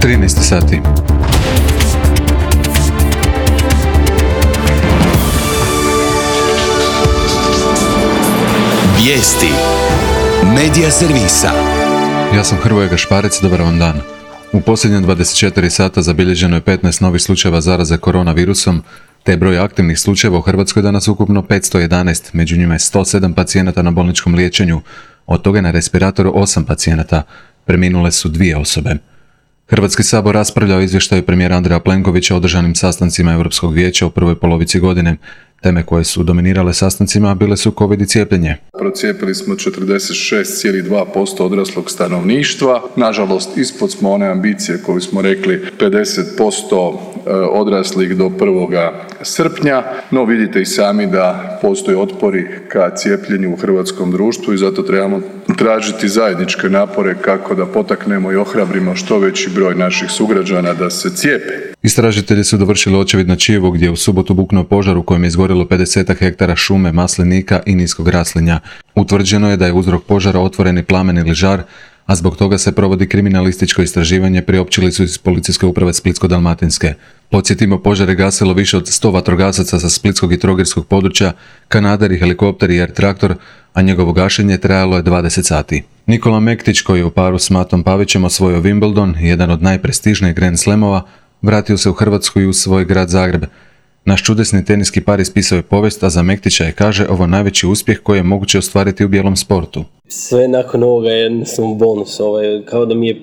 13 sati. Vijesti Medija servisa. Ja sam Hrvoje Gašparec, dobar vam dan. U posljednje 24 sata zabilježeno je 15 novih slučajeva zaraze koronavirusom, te je broj aktivnih slučajeva u Hrvatskoj danas ukupno 511, među njima je 107 pacijenata na bolničkom liječenju, od toga je na respiratoru 8 pacijenata, preminule su 2 osobe. Hrvatski sabor raspravljao o izvještaju premijera Andreja Plenkovića o održanim sastancima Europskog vijeća u prvoj polovici godine. Teme koje su dominirale sastancima bile su COVID i cijepljenje. Procijepili smo 46,2% odraslog stanovništva. Nažalost, ispod smo one ambicije koju smo rekli 50% odraslih do 1. srpnja, no vidite i sami da postoje otpori ka cijepljenju u hrvatskom društvu i zato trebamo tražiti zajedničke napore kako da potaknemo i ohrabrimo što veći broj naših sugrađana da se cijepe. Istražitelji su dovršili očevid na Čijevu gdje je u subotu buknuo požar u kojem je izgorilo 50 hektara šume, maslinika i niskog raslinja. Utvrđeno je da je uzrok požara otvoreni plamen ili žar, a zbog toga se provodi kriminalističko istraživanje, priopćili su iz Policijske uprave Splitsko-dalmatinske. Podsjetimo, požar je gasilo više od 100 vatrogasaca sa splitskog i trogirskog područja, kanaderi, helikopteri i air traktor, a njegovo gašenje trajalo je 20 sati. Nikola Mektić, koji je u paru s Matom Pavićem osvojio Wimbledon, jedan od najprestižnijih Grand Slamova, vratio se u Hrvatsku i u svoj grad Zagreb. Naš čudesni teniski par ispisao je povijest, a za Mektića je, kaže, ovo najveći uspjeh koji je moguće ostvariti u bijelom sportu. Sve nakon ovoga je jednostavno bonus, kao da mi je,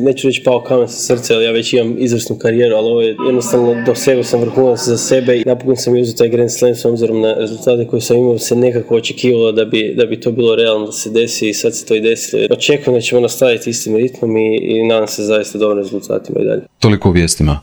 neću reći pao kamen sa srca, ali ja već imam izvrsnu karijeru, ali ovo je jednostavno, dosegao sam vrhunac za sebe i napokon sam uzeo taj Grand Slam s obzirom na rezultate koje sam imao, se nekako očekivalo da bi to bilo realno da se desi i sad se to i desilo. Očekujem da ćemo nastaviti istim ritmom i nadam se zaista dobrim rezultatima i dalje. Toliko u vijestima.